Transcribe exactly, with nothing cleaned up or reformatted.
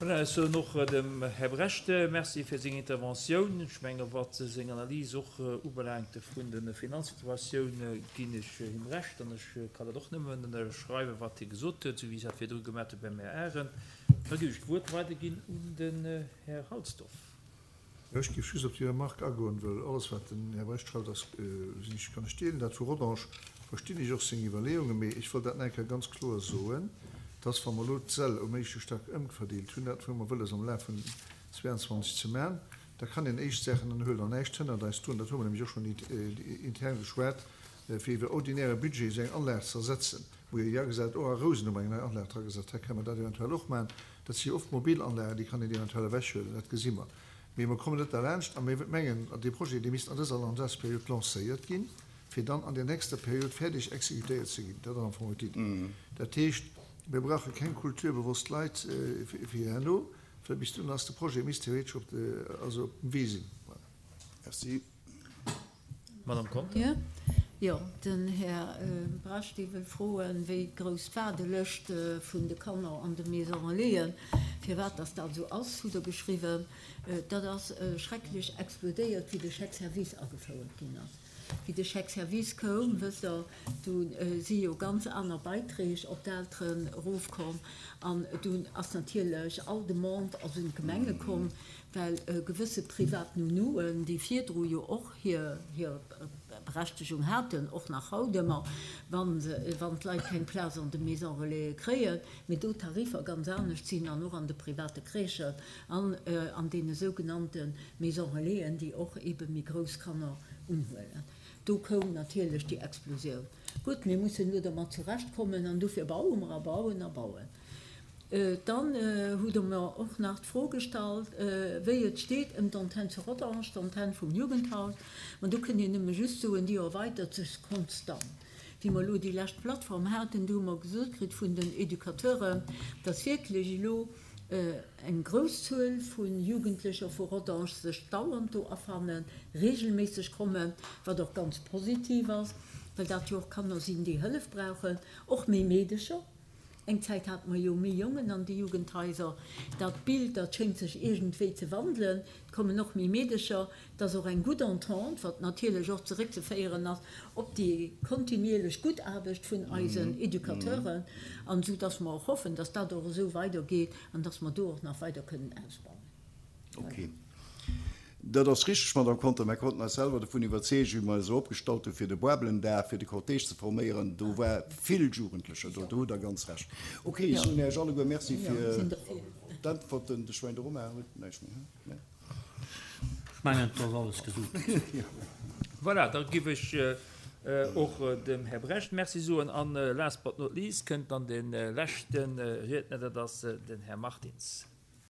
Voilà, ech soen och dem Här Brecht Merci fir seng Interventioun. Ech menge wat seng Analys och ubelaangt vun der Finanzsituatioun, ginn ech him Recht an ech kann dat och nëmmen ënnerschreiwen, wat hie gesot huet, esou wéi ech dat virdru gemaach hu beim Här Arendt. Da géif ech d'Wuert weiderginn un den Här Halsdorf. Jo, ech géif just op déi Remarque agoen, well alles, wat den Här Brecht schreift, ass, sinn ech, kann ech deelen. Dat vu Rodange verstinn ech och seng Iwwerleeungen, mee ech wëll dat nach eng Kéier ganz kloer soen, dass, wa mer elo d'Säll um éischte Stack ëmverdeelt hunn, dat hu mer wëlles am Laf vun zweeanzwanzeg ze maachen, da kann een éischt Saachen dann huelen an näischt hënnert eis drun, dat hu mer nämlech och schonn intern geschwat, fir iwwer ordinäre Budget esou eng Anlag ze ersetzen. Wou jo agesat, och a Rousen hu mer eng nei Anlag dragesat, hei kënne mer dat eventuell och maachen. Dat si jo oft mobil Anlagen, déi kann een eventuell ewechhuelen, dat gesi mer. Mee mer kommen net derlaanscht a mir mengen, dee Projet, dee misst an dëser Mandatsperiod lancéiert ginn, fir dann an der nächster Period fäerdeg exekutéiert ze ginn. Dat ass am Fong d'Iddi. Dat heescht, mir brauche keng kulturbewosst Leit fir herno, well bis dunn ass de Projet misst theoretesch op de, also op dem Wee sinn. Voilà. Merci. Madame Conter. Jo, den Här Brecht, dee wëll froen, wéi grouss d'Waardelëscht vun de Kanner an de Maison Relaisen, firwat dass dat esou ass, hutt Der geschriwwen. Dat ass schrecklech explodéiert, wéi de Chèque service agefouert ginn ass. Wéi de Chèque service koum, wësst Der, du si jo ganz aner Beiträg op d'Elteren erofkomm an dunn ass natierlech all Demande ass un d'Gemenge komm, well gewësse privat Nounouen, déi virdru jo och hir Berechtegung haten, och nach haut ëmmer, wann d'Leit keng Plaz an de Maisons Relaisen kréien, mee do d'Tariffer ganz anescht sinn an och an de private Crèchen an an deene sougenannte Maisons Relaisen, déi och eebe méi grouss Kanner unhuelen. Do koum natierlech déi Explosioun. Gutt, mir mussen elo dermat zurechtkommen an dofir baue mer a bauen a bauen. Dann hutt Der mer och nach d'Fro gestallt, wéi et steet ëm d'Antenn zu Rodange, d'Antenn vum Jugendhaus. Ma do kënnt een nëmme just soen, déi erweitert sech konstant. Wéi mer elo déi lescht Plattform haten, do hu mer gesot kritt vun den Educateuren, dass wierklech elo eng grouss Zuel vu Jugendlecher vu Rodange sech dauernd do afannen, regelméisseg kommen, wat och ganz positiv ass, well dat jo och Kanner sinn, déi Hëllef brauchen, och méi Meedecher. Eng Zäit hate mer jo méi Jongen an de Jugendhaiser. Dat Bild, dat schéngt sech iergendwéi ze wandelen. Et kommen och méi Meedecher. Et ass och eng gutt Entente, wat natierlech och zeréckzeféieren ass op déi kontinuierlech gutt Aarbecht vun eisen Educateuren. An esou dass mer och hoffen, dass dat och esou weidergeet an dass mer do och nach weider kënnen ausbauen. Okay. Dat ass richteg, Madame Conter. Mer konnten eis selwer dovun iwwerzeegen, wéi mer eis opgestallt hu fir de Boabelendag, fir de Cortège ze forméieren. Do war vill Jugendlecher do. Do hutt Der ganz Recht. Okay, ech soen Iech alleguer Merci fir d'Äntwerten. De Schwäin, de Romain huet näischt méi, he? Nee? Ech mengen, et ass alles gesot. Voilà, da giff ech och dem Här Brecht Merci soen. An last but not least kënnt dann de leschte Riedner, dat ass den Här Martins.